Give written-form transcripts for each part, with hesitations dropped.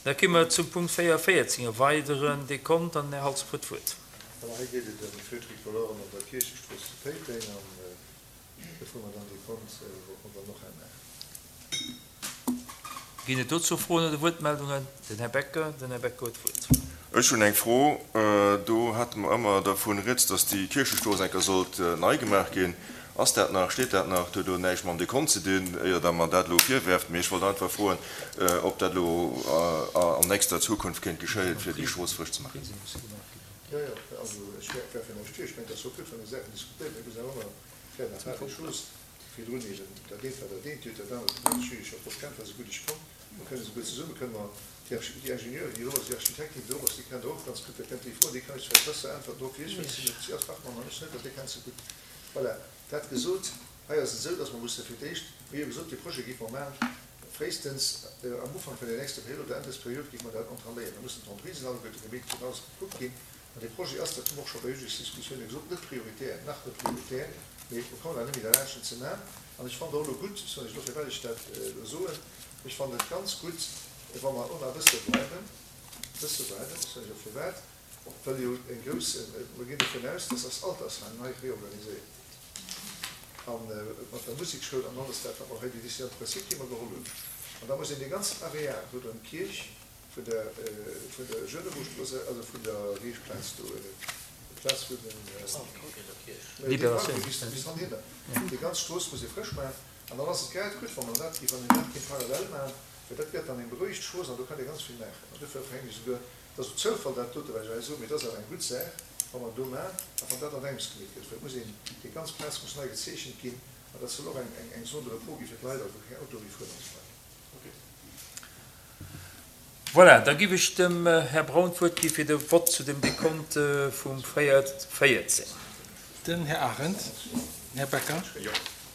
Da gi mer zum Punkt 4, 14, e weideren Dekont, an den Här Halsdorf huet d'Wuert. Voilà, hei geet et ëm d'Feu-tricolore-en op der Kierchestrooss zu Péiteng an do froe mer dann Dekont, ob mer dann och eng maachen. Ginn et dozou Froen oder Wuertmeldungen? Den Här Becker. Den Här Becker huet d'Wuert. Ech hunn eng Fro. Do hate mer ëmmer dervun rieds, dass déi Kierchestrooss eng Kéier sollt nei gemaach ginn. Ass dat nach, steet dat nach? Dat huet elo näischt mam Dekont ze dinn, éier Der mer dat elo virwerft. Mee ech wollt einfach froen, ob dat elo an nächster Zukunft kéint geschéien, fir déi Strooss frësch ze maachen. Jo, jo, also ech werfen näischt vir. Ech mengen, et ass och gutt, wann ee Saachen diskutéiert. Mir mussen awer ëmmer fair nach harte Schluss. Virdrun eben dat eent war dat eent, dir hutt dat anert genannt. Ech hu Iech jo och kennt, war se gutt, ech komm. Mer kënnen esouguer zesumme kënne mer déi Ingenieurin, déi do ass, déi Architektin, déi do ass, déi kennt Der och ganz gutt, da kënnt Dir déi froen. Déi kann Iech vläicht besser äntwerten drop wéi ech, well ech sinn net, si ass Fachmann an ech net, an déi kennt se gutt. Voilà, dat gesot, hei ass et esou, dass mer musse fir d'éischt, mir hu jo gesot, dee Projet géife mer maachen, fréistens am Ufank vun der nächster Period oder Enn dës Period géife mer dat entaméieren. Da mussen d'Entreprisen alleguerte gemeet ginn, alles gekuckt ginn. An dee Projet ass, dat hu mer och scho bei Budgetsdiskussioune gesot, net prioritär, nach net prioritär, mee mer kommen awer net méi derlaanscht en ze maachen. An ech fannen och elo gutt, soen ech elo, firwat ech dat elo soen, ech fannen et ganz gutt, wa mer och nach e bësse bleiwen, e bësse bleiwen, ech soen lech och firwat, well jo eng grouss, mer ginn dovun aus, dass eist Altersheim nei reorganiséiert gëtt, a mat der Musekschoul an alles dat, wat mer hei, déi Décision de principe, déi mer geholl hunn. An da muss een dee ganzen Areal do ëm d'Kierch, Vun der vun der Jeunebourg-Strooss, also vun der Reechplaz do, d'Plaz vun den Libération, bis hannhinner, déi ganz Strooss muss ee frësch maachen. An dann ass et grad gutt, wa mer dat, wann een dat kéint parallel maachen, well dat gëtt dann eng berouegt Strooss an do kann ee ganz vill maachen. An dofir hänken ech esouguer, et ass e Zoufall dat dote wat ech hei soen, mee et ass awer eng gutt Saach, wa mer do maachen a wann dat an engems gemeet gëtt, well et muss een, déi ganz Plaz muss nei gezeechent ginn an dat soll och eng eng Zone de repos gi fir d'Leit, also wou keng Autoe méi fueren an esou weider. Voilà, da giff ech dem Här Braun d'Wuert gi fir de Vott zu dem Dekont vum 414. Den Här Arendt, den Här Becker,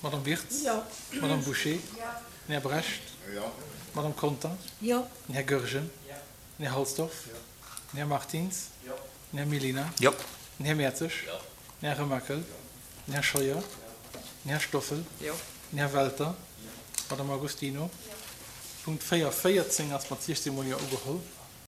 d'Madame Wirtz, d'Madame Bouché, den Här Brecht, d'Madame Conter, den Här Goergen, den Här Halsdorf, den Här Martins, den Här Mellina, den Här Mertzig, den Här Remakel, Den Här Scheuer, den Här Stoffel, den Här Welter, d'Madame Agostino. Punkt 4, 14 ass mat 16 mol Jo ugeholl.